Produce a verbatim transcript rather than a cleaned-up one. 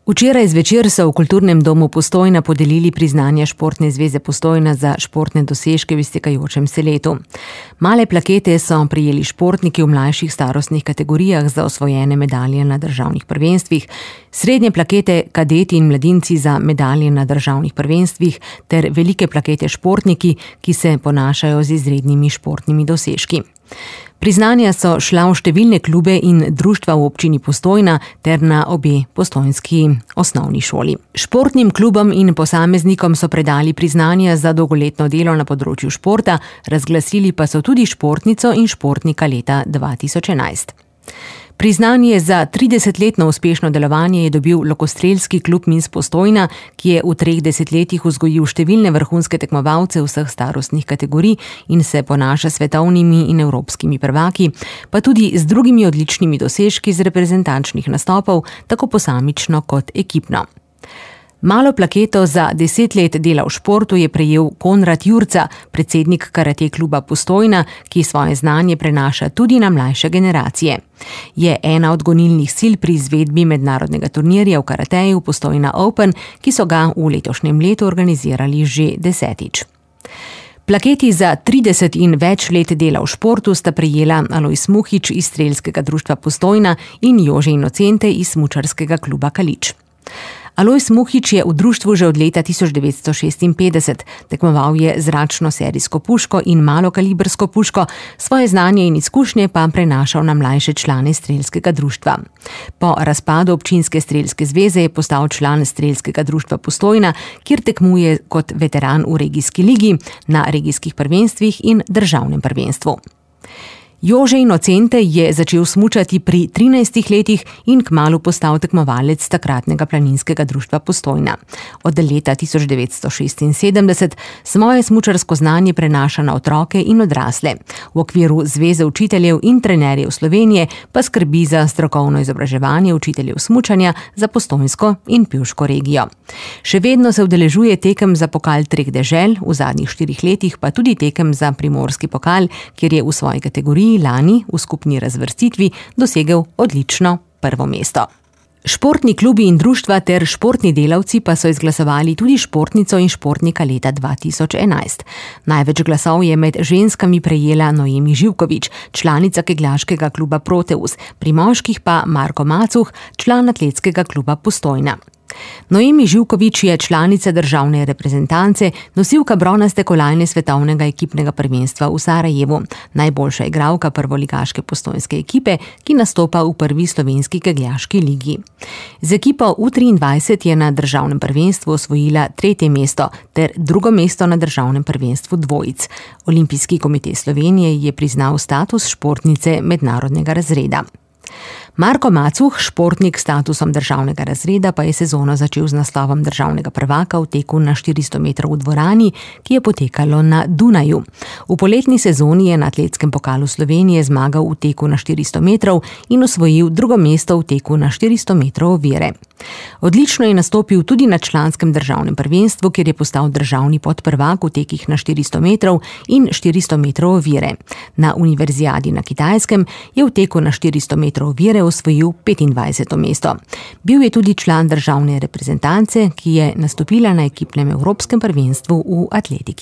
Včeraj zvečer so v Kulturnem domu Postojna podelili priznanja Športne zveze Postojna za športne dosežke v iztekajočem se letu. Male plakete so prejeli športniki v mlajših starostnih kategorijah za osvojene medalje na državnih prvenstvih, srednje plakete kadeti in mladinci za medalje na državnih prvenstvih ter velike plakete športniki, ki se ponašajo z izrednimi športnimi dosežki. Priznanja so šla v številne klube in društva v občini Postojna ter na obe postojnski osnovni šoli. Športnim klubom in posameznikom so predali priznanja za dolgoletno delo na področju športa, razglasili pa so tudi športnico in športnika leta dva tisoč enajst. Priznanje za tridesetletno uspešno delovanje je dobil Lokostrelski klub Minsk Postojna, ki je v treh desetletjih vzgojil številne vrhunske tekmovalce vseh starostnih kategorij in se ponaša svetovnimi in evropskimi prvaki, pa tudi z drugimi odličnimi dosežki z reprezentančnih nastopov, tako posamično kot ekipno. Malo plaketo za deset let dela v športu je prejel Konrad Jurca, predsednik karate kluba Postojna, ki svoje znanje prenaša tudi na mlajše generacije. Je ena od gonilnih sil pri izvedbi mednarodnega turnirja v karateju Postojna Open, ki so ga v letošnjem letu organizirali že desetič. Plaketi za trideset in več let dela v športu sta prejela Alojz Muhič iz Strelskega društva Postojna in Jože Inocente iz Smučarskega kluba Kalič. Alojz Muhič je v društvu že od leta tisoč devetsto šestinpetdeset, tekmoval je zračno serijsko puško in malokalibrsko puško, svoje znanje in izkušnje pa prenašal na mlajše člane Strelskega društva. Po razpadu občinske strelske zveze je postal član Strelskega društva Postojna, kjer tekmuje kot veteran v regijski ligi, na regijskih prvenstvih in državnem prvenstvu. Jože Inocente je začel smučati pri trinajstih letih in kmalu postal tekmovalec takratnega planinskega društva Postojna. Od leta tisoč devetsto šestinsedemdeset svoje smučarsko znanje prenaša na otroke in odrasle. V okviru Zveze učiteljev in trenerjev Slovenije pa skrbi za strokovno izobraževanje učiteljev smučanja za postojnsko in pivško regijo. Še vedno se udeležuje tekem za pokal treh dežel, v zadnjih štirih letih pa tudi tekem za primorski pokal, kjer je v svoji kategoriji lani v skupni razvrstitvi dosegel odlično prvo mesto. Športni klubi in društva ter športni delavci pa so izglasovali tudi športnico in športnika leta dva tisoč enajst. Največ glasov je med ženskami prejela Noemi Živkovič, članica kegljaškega kluba Proteus, pri moških pa Marko Macuh, član atletskega kluba Postojna. Noemi Živkovič je članica državne reprezentance, nosilka bronaste kolajne svetovnega ekipnega prvenstva v Sarajevu, najboljša igralka prvoligaške postojnske ekipe, ki nastopa v prvi slovenski kegljaški ligi. Z ekipo U triindvajset je na državnem prvenstvu osvojila tretje mesto ter drugo mesto na državnem prvenstvu dvojic. Olimpijski komite Slovenije je priznal status športnice mednarodnega razreda. Marko Macuh, športnik s statusom državnega razreda, pa je sezono začel z naslovom državnega prvaka v teku na štiristo metrov v dvorani, ki je potekalo na Dunaju. V poletni sezoni je na atletskem pokalu Slovenije zmagal v teku na štiristo metrov in osvojil drugo mesto v teku na štiristo metrov ovire. Odlično je nastopil tudi na članskem državnem prvenstvu, kjer je postal državni podprvak v tekih na štiristo metrov in štiristo metrov ovire. Na univerzijadi na Kitajskem je v teku na štiristo metrov ovire osvojil petindvajseto mesto. Bil je tudi član državne reprezentance, ki je nastopila na ekipnem evropskem prvenstvu v atletiki.